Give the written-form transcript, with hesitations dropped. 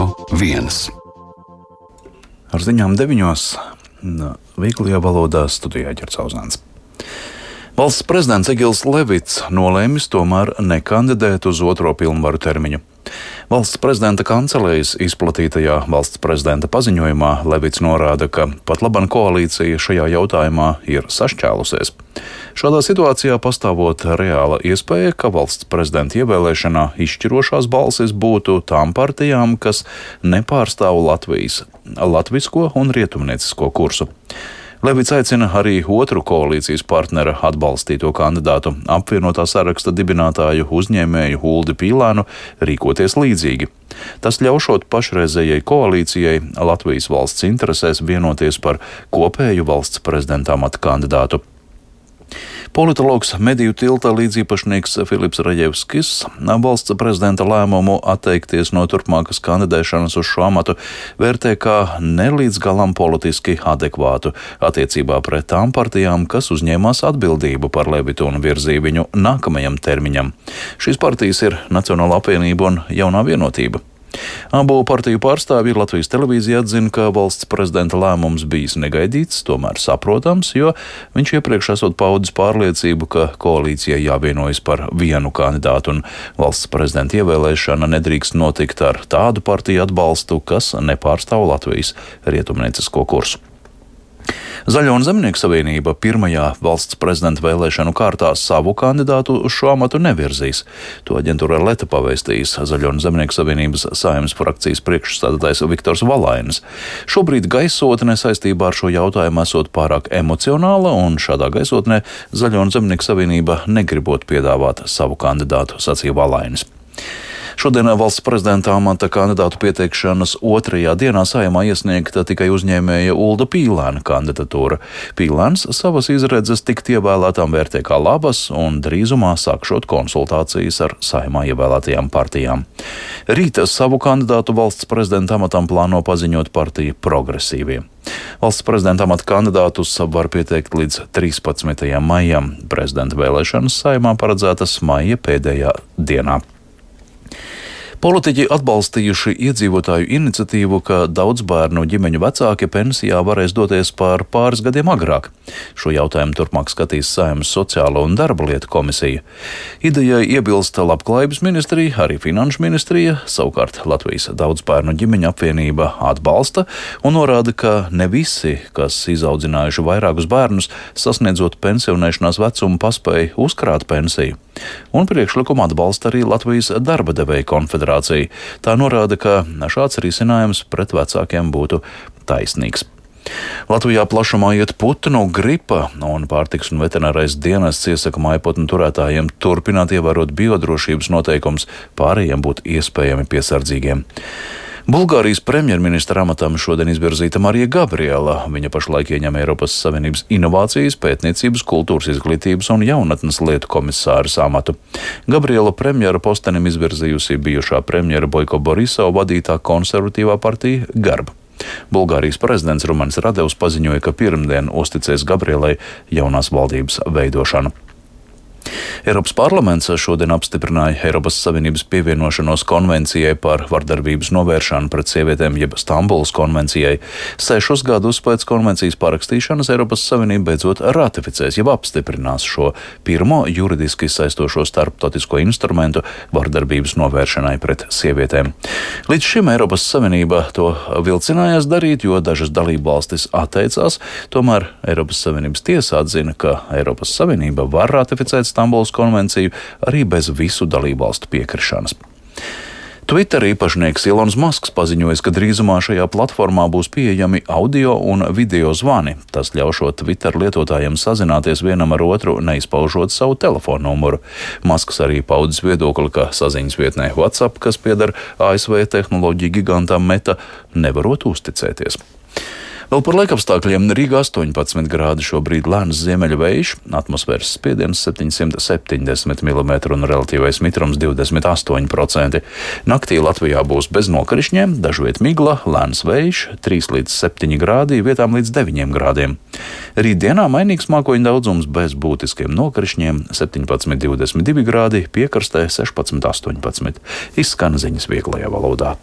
Radio 1. Ar ziņām 9. Vieglajā valodā studijā Ģercauzāns. Valsts prezidents Egils Levits nolēmis tomēr nekandidēt uz otro pilnvaru termiņu. Valsts prezidenta kancelējas izplatītajā valsts prezidenta paziņojumā Levits norāda, ka pat laban koalīcija šajā jautājumā ir sašķēlusies. Šādā situācijā pastāvot reāla iespēja, ka valsts prezidenta ievēlēšanā izšķirošās balsis būtu tām partijām, kas nepārstāv latvisko un rietumniecisko kursu. Levits aicina arī otru koalīcijas partnera atbalstīto kandidātu, apvienotā saraksta dibinātāju uzņēmēju Uldi Pīlēnu, rīkoties līdzīgi. Tas ļaušot pašreizējai koalīcijai Latvijas valsts interesēs vienoties par kopēju valsts prezidenta amata kandidātu. Politologs Mediju tilta līdziepašnieks Filips Raģevskis valsts prezidenta lēmumu atteikties no turpmākas kandidēšanas uz šo amatu vērtē kā nelīdz galam politiski adekvātu attiecībā pret tām partijām, kas uzņēmās atbildību par Levitu un virzīja viņu nākamajam termiņam. Šīs partijas ir Nacionālā apvienība un Jaunā vienotība. Abu partiju pārstāvji Latvijas televīzija atzina, ka valsts prezidenta lēmums bijis negaidīts, tomēr saprotams, jo viņš iepriekš esot paudis pārliecību, ka koalīcijai jāvienojas par vienu kandidātu un valsts prezidenta ievēlēšana nedrīkst notikt ar tādu partiju atbalstu, kas nepārstāv Latvijas rietumniecisko kursu. Zaļo un Zemnieku savienība pirmajā valsts prezidenta vēlēšanu kārtā savu kandidātu uz šo amatu nevirzīs. To aģentūra Leta pavēstījis Zaļo un Zemnieku savienības Saeimas frakcijas priekšsēdētājs Viktors Valainis. Šobrīd gaisotne saistībā ar šo jautājumu esot pārāk emocionāla, un šādā gaisotnē Zaļo un Zemnieku savienība negribot piedāvāt savu kandidātu, sacīja Valainis. Šodien valsts prezidenta amata kandidātu pieteikšanas otrajā dienā Saeimā iesniegta tikai uzņēmēja Ulda Pīlēna kandidatūra. Pīlēns savas izredzes tikt ievēlētām vērtē kā labas un drīzumā sākšot konsultācijas ar Saeimā ievēlētajām partijām. Rīta savu kandidātu valsts prezidenta amatam plāno paziņot partija Progresīvie. Valsts prezidenta amata kandidātus var pieteikt līdz 13. maijam. Prezidenta vēlēšanas Saeimā paredzētas maija pēdējā dienā. Politiķi atbalstījuši iedzīvotāju iniciatīvu, ka daudzbērnu ģimeņu vecāki pensijā varēs doties par pāris gadiem agrāk. Šo jautājumu turpmāk skatīs Saeimas sociālo un darba lietu komisija. Idejai iebilst Labklājības ministrija, arī Finanšu ministrija, savukārt Latvijas daudzbērnu ģimeņu apvienība atbalsta un norāda, ka ne visi, kas izaudzinājuši vairākus bērnus, sasniedzot pensionēšanās vecumu, paspēja uzkrāt pensiju. Un priekšlikumu atbalsta arī Latvijas darba devēju konfederācija. Tā norāda, ka šāds risinājums pret vecākiem būtu taisnīgs. Latvijā plašumā iet putnu gripa, un pārtiks un veterinārais dienests iesaka mājputnu turētājiem turpināt ievērot biodrošības noteikumus, pārējiem būt iespējami piesardzīgiem. Bulgārijas premjerministra amatam šodien izvirzīta Marija Gabriela. Viņa pašlaik ieņem Eiropas Savienības inovācijas, pētniecības, kultūras izglītības un jaunatnes lietu komisāras amatu. Gabriela premjera postenim izvirzījusi bijušā premjera Boiko Borisova vadītā konservatīvā partija Garba. Bulgārijas prezidents Rumans Radevs paziņoja, ka pirmdien uzticēs Gabrielai jaunās valdības veidošanu. Eiropas parlaments šodien apstiprināja Eiropas Savienības pievienošanos konvencijai par vardarbības novēršanu pret sievietēm, jeb Stambulas konvencijai. 6 gadus pēc konvencijas parakstīšanas Eiropas Savienība beidzot ratificēs, jeb apstiprinās šo pirmo juridiski saistošo starptautisko instrumentu vardarbības novēršanai pret sievietēm. Līdz šim Eiropas Savienība to vilcinājās darīt, jo dažas dalībvalstis atteicās, tomēr Eiropas Savienības tiesa atzina, ka Eiropas Savienība var ratificēt Stambulas konvenciju arī bez visu dalībvalstu piekrišanas. Twitter īpašnieks Ilons Masks paziņoja, ka drīzumā šajā platformā būs pieejami audio un video zvani. Tas ļaušot Twitter lietotājiem sazināties vienam ar otru, neizpaužot savu telefonu numuru. Masks arī paudis viedokli, ka saziņas vietnē WhatsApp, kas pieder ASV tehnoloģiju gigantam Meta, nevarot uzticēties. Vēl par laikapstākļiem Rīgā 18 grādi, šobrīd lēns ziemeļu vējš, atmosfēras spiediens 770 mm un relatīvais mitrums 28%. Naktī Latvijā būs bez nokrišņiem, dažviet migla, lēns vējš 3 līdz 7 grādi, vietām līdz 9 grādiem. Rītdienā mainīgs mākoņu daudzums bez būtiskiem nokrišņiem 17,22 grādi, piekrastē 16,18. Izskan ziņas vieglajā valodā.